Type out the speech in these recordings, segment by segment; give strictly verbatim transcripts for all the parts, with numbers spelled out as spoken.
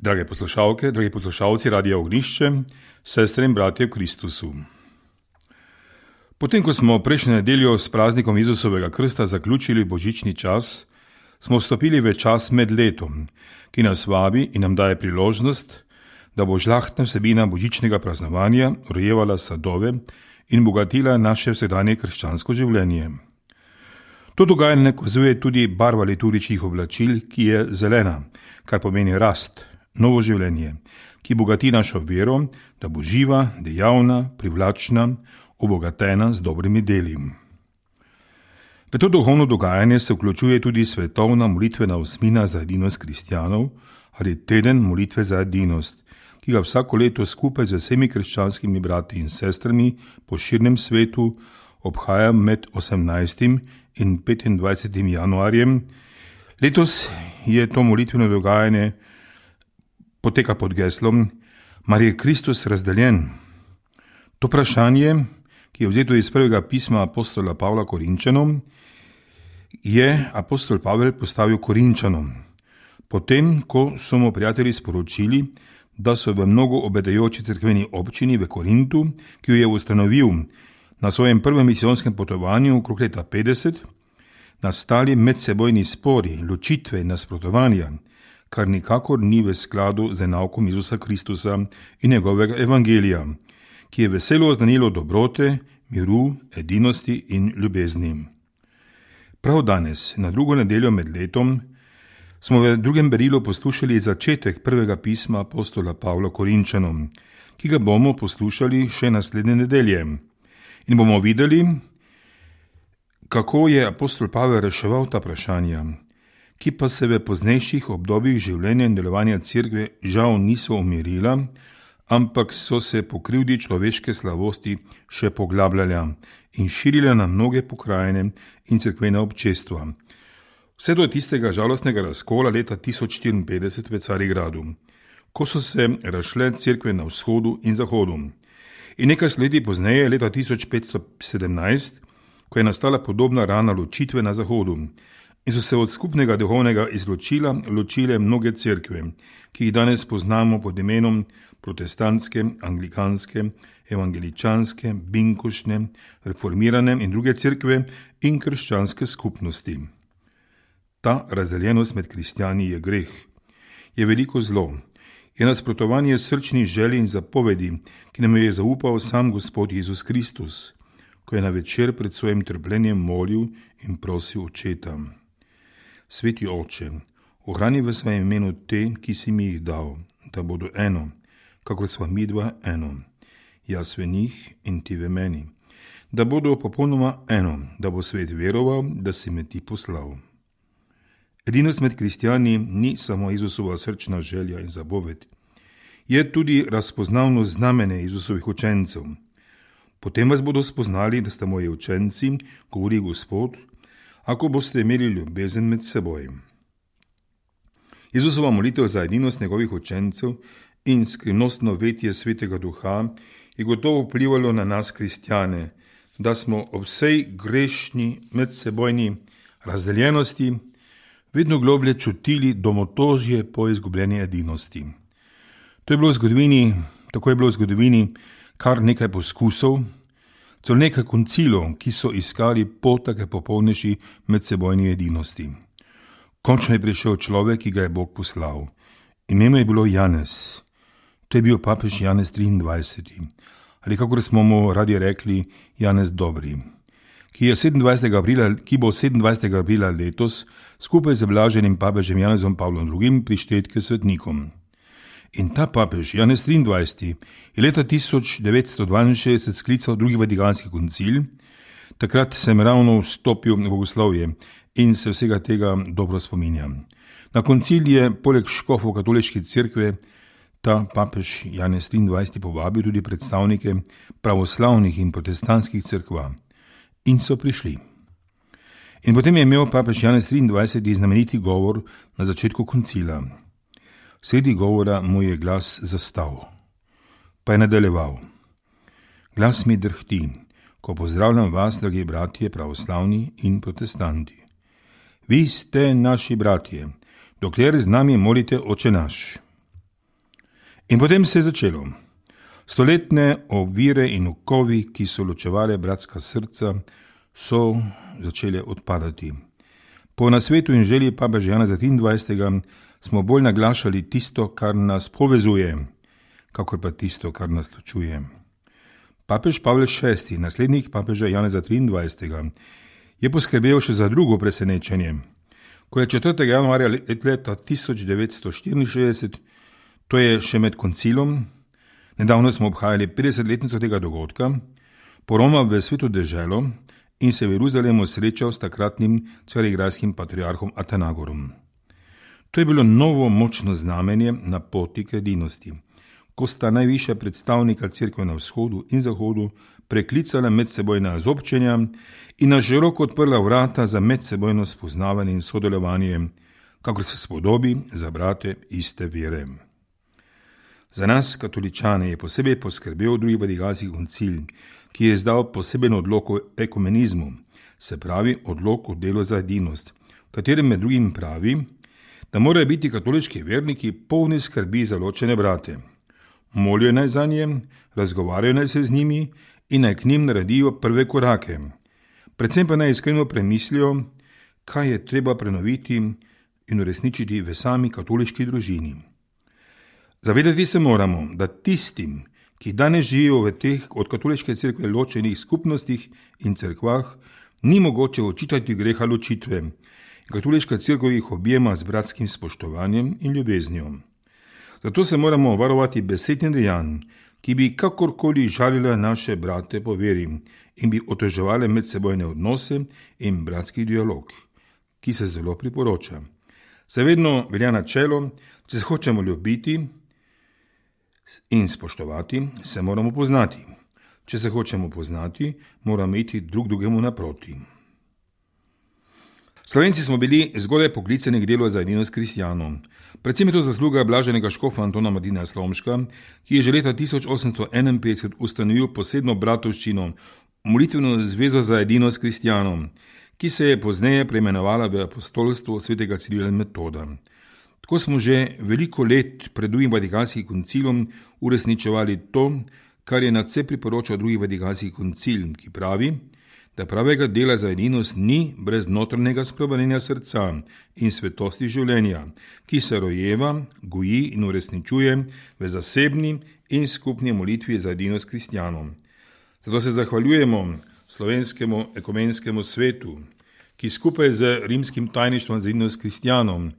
Drage poslušalke, dragi poslušalci Radia Ognišče, sestre in bratje v Kristusu. Potem, ko smo prejšnjo nedeljo s praznikom Jezusovega krsta zaključili božični čas, smo vstopili v čas med letom, ki nas vabi in nam daje priložnost, da bo žlahtna vsebina božičnega praznovanja rojevala sadove in bogatila naše vsakdanje krščansko življenje. To dogajanje nakazuje tudi barva liturgičnih oblačil, ki je zelena, kar pomeni rast, novo življenje, ki bogati našo vero, da bo živa, dejavna, privlačna, obogatena z dobrimi deli. V to duhovno dogajanje se vključuje tudi svetovna molitvena osmina za edinost kristjanov ali teden molitve za edinost, ki ga vsako leto skupaj z vsemi krščanskimi brati in sestrami po širnem svetu obhaja med osemnajstim in petindvajsetim januarjem. Letos je to molitveno dogajanje poteka pod geslom Mar je Kristus razdeljen? To vprašanje, ki je vzeto iz prvega pisma apostola Pavla Korinčanom, je apostol Pavel postavil Korinčanom, potem, ko so mu prijatelji sporočili, da so v mnogo obedajoči cerkveni občini v Korintu, ki jo je ustanovil na svojem prvem misijonskem potovanju okrog leta petdeset, nastali medsebojni spori, ločitve in nasprotovanja, kar nikakor ni v skladu z naukom Jezusa Kristusa in njegovega evangelija, ki je veselo oznanilo dobrote, miru, edinosti in ljubezni. Prav danes, na drugo nedeljo med letom, smo v drugem berilu poslušali začetek prvega pisma apostola Pavla Korinčanom, ki ga bomo poslušali še naslednje nedelje. In bomo videli, kako je apostol Pavel reševal ta vprašanja, ki pa se v poznejših obdobjih življenja in delovanja cerkve žal niso umirila, ampak so se po krivdi človeške slabosti še poglabljala in širila na mnoge pokrajine in cerkvena občestva. Vse do tistega žalostnega razkola leta tisoč štiriinpetdeset v Carigradu, ko so se razšle cerkve na vzhodu in zahodu. In nekaj leti pozneje, leta tisoč petsto sedemnajst, ko je nastala podobna rana ločitve na zahodu in so se od skupnega duhovnega izločila ločile mnoge cerkve, ki jih danes poznamo pod imenom protestantske, anglikanske, evangeličanske, binkošne, reformirane in druge cerkve in krščanske skupnosti. Ta razdeljenost med kristjani je greh, je veliko zlo, je nasprotovanje srčnih želj in zapovedi, ki nam je zaupal sam Gospod Jezus Kristus, ko je na večer pred svojim trpljenjem molil in prosil Očeta. Sveti Oče, ohrani v svojem imenu te, ki si mi jih dal, da bodo eno, kakor sva midva eno, jaz v njih in ti v meni, da bodo popolnoma eno, da bo svet veroval, da si me ti poslal. Edinost med kristjani ni samo Jezusova srčna želja in zapoved, je tudi razpoznavno znamenje Jezusovih učencev. Potem vas bodo spoznali, da ste moji učenci, govori Gospod, ako boste imeli ljubezen med seboj. Jezusova molitev za edinost njegovih učencev in skrivnostno vetje Svetega Duha je gotovo vplivalo na nas kristjane, da smo ob vsej grešni medsebojni razdeljenosti vedno globlje čutili domotožje po izgubljeni edinosti. To je bilo v zgodovini, tako je bilo v zgodovini kar nekaj poskusov, celo nekaj koncilov, ki so iskali pot take popolnejši medsebojni edinosti. Končno je prišel človek, ki ga je Bog poslal. Ime mu je bilo Janez. To je bil papež Janez triindvajseti, ali kakor smo mu radi rekli, Janez Dobri, ki, je sedemindvajsetega aprila, ki bo sedemindvajsetega aprila letos skupaj z blaženim papežem Janezom Pavlom drugim prištet k svetnikom. In ta papež, Janez triindvajseti, je leta tisoč devetsto dvainšestdeset sklical drugi vatikanski koncil. Takrat sem ravno vstopil v bogoslovje in se vsega tega dobro spominjam. Na koncil je poleg škofov katoliške cerkve ta papež Janez triindvajseti povabil tudi predstavnike pravoslavnih in protestantskih cerkva. In so prišli. In potem je imel papež Janez triindvajseti znameniti govor na začetku koncila. Sredi govora mu je glas zastal, pa je nadaljeval. Glas mi drhti, ko pozdravljam vas, dragi bratje pravoslavni in protestanti. Vi ste naši bratje, dokler z nami molite Oče naš. In potem se je začelo. Stoletne ovire in okovi, ki so ločevale bratska srca, so začele odpadati. Po nasvetu in želji papeža Janeza triindvajsetega smo bolj naglašali tisto, kar nas povezuje, kakor pa tisto, kar nas ločuje. Papež Pavel šesti, naslednik papeža Janeza triindvajsetega, je poskrbel še za drugo presenečenje. Ko je četrtega januarja leta tisoč devetsto štiriinšestdeset, to je še med koncilom, nedavno smo obhajali petdesetletnico tega dogodka, poromal v sveto deželo in se v Jeruzalemu srečal s takratnim carigrajskim patriarhom Atenagorom. To je bilo novo močno znamenje na poti k edinosti, ko sta najvišja predstavnika cerkve na vzhodu in zahodu preklicala medsebojna zobčenja in na široko odprla vrata za medsebojno spoznavanje in sodelovanje, kakor se spodobi za brate iste vere. Za nas, katoličane, je posebej poskrbel drugi vatikanski koncil, ki je izdal poseben odlok o ekumenizmu, se pravi odlok o delu za edinost, v katerem med drugim pravi, da morajo biti katoliški verniki polni skrbi za ločene brate. Molijo naj za nje, razgovarjajo naj se z njimi in naj k njim naredijo prve korake. Predvsem pa naj iskreno premislijo, kaj je treba prenoviti in uresničiti v sami katoliški družini. Zavedati se moramo, da tistim, ki danes živijo v teh od katoliške cerkve ločenih skupnostih in cerkvah, ni mogoče očitati greha ločitve. Katoliška cerkev jih objema z bratskim spoštovanjem in ljubeznijo. Zato se moramo varovati besed in dejanj, ki bi kakorkoli žalile naše brate po veri in bi oteževale medsebojne odnose in bratski dialog, ki se zelo priporoča. Se vedno velja načelo, če se hočemo ljubiti in spoštovati, se moramo poznati. Če se hočemo poznati, moramo iti drug drugemu naproti. Slovenci smo bili zgodaj poklicani k delu za edinost kristjanov. Predvsem je to zasluga blaženega škofa Antona Martina Slomška, ki je že leta tisoč osemsto enainpetdeset ustanovil posebno bratovščino, molitveno zvezo za edinost kristjanov, ki se je pozneje preimenovala v apostolstvo svetega Cirila in Metoda. Tako smo že veliko let pred drugim vatikanskim koncilom uresničevali to, kar je nadvse priporočal drugi vatikanski koncil, ki pravi, da pravega dela za edinost ni brez notranjega spreobrnjenja srca in svetosti življenja, ki se rojeva, goji in uresničuje v zasebni in skupni molitvi za edinost kristjanov. Zato se zahvaljujemo slovenskemu ekumenskemu svetu, ki skupaj z rimskim tajništvom za edinost kristjanov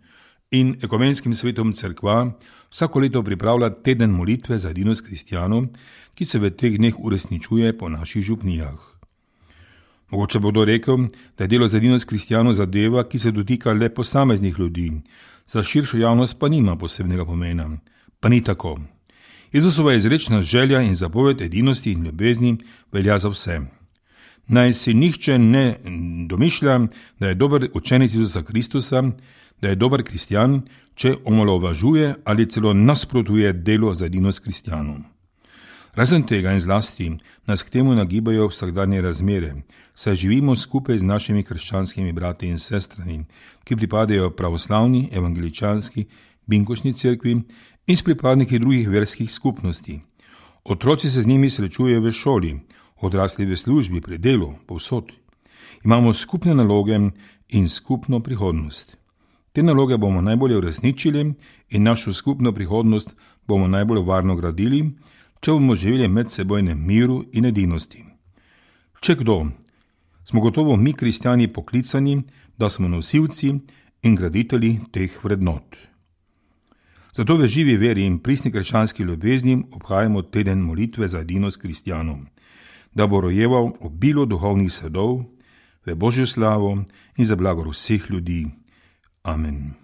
in ekumenskim svetom cerkva vsako leto pripravlja teden molitve za edinost kristjanov, ki se v teh dneh uresničuje po naših župnijah. Mogoče bodo rekel, da je delo za edinost kristjanov zadeva, ki se dotika le posameznih ljudi, za širšo javnost pa nima posebnega pomena. Pa ni tako. Jezusova izrečna želja in zapoved edinosti in ljubezni velja za vse. Naj si nihče ne domišlja, da je dober učenec Jezusa Kristusa, da je dober kristjan, če omalovažuje ali celo nasprotuje delo za edinost kristjanov. Razen tega in zlasti nas k temu nagibajo vsakdanje razmere, saj živimo skupaj z našimi krščanskimi brati in sestrami, ki pripadajo pravoslavni, evangeličanski, binkošni cerkvi in s pripadniki drugih verskih skupnosti. Otroci se z njimi srečujejo v šoli, odrasli v službi, pri delu, povsod. Imamo skupne naloge in skupno prihodnost. Te naloge bomo najbolje uresničili in našo skupno prihodnost bomo najbolj varno gradili, če bomo živeli med sebojnem miru in edinosti. Če kdo, smo gotovo mi kristjani poklicani, da smo nosilci in graditelji teh vrednot. Zato v živi veri in pristni krščanski ljubezni obhajamo teden molitve za edinost kristjanov, da bo rojeval obilo duhovnih sadov v Božjo slavo in za blagor vseh ljudi. Amen.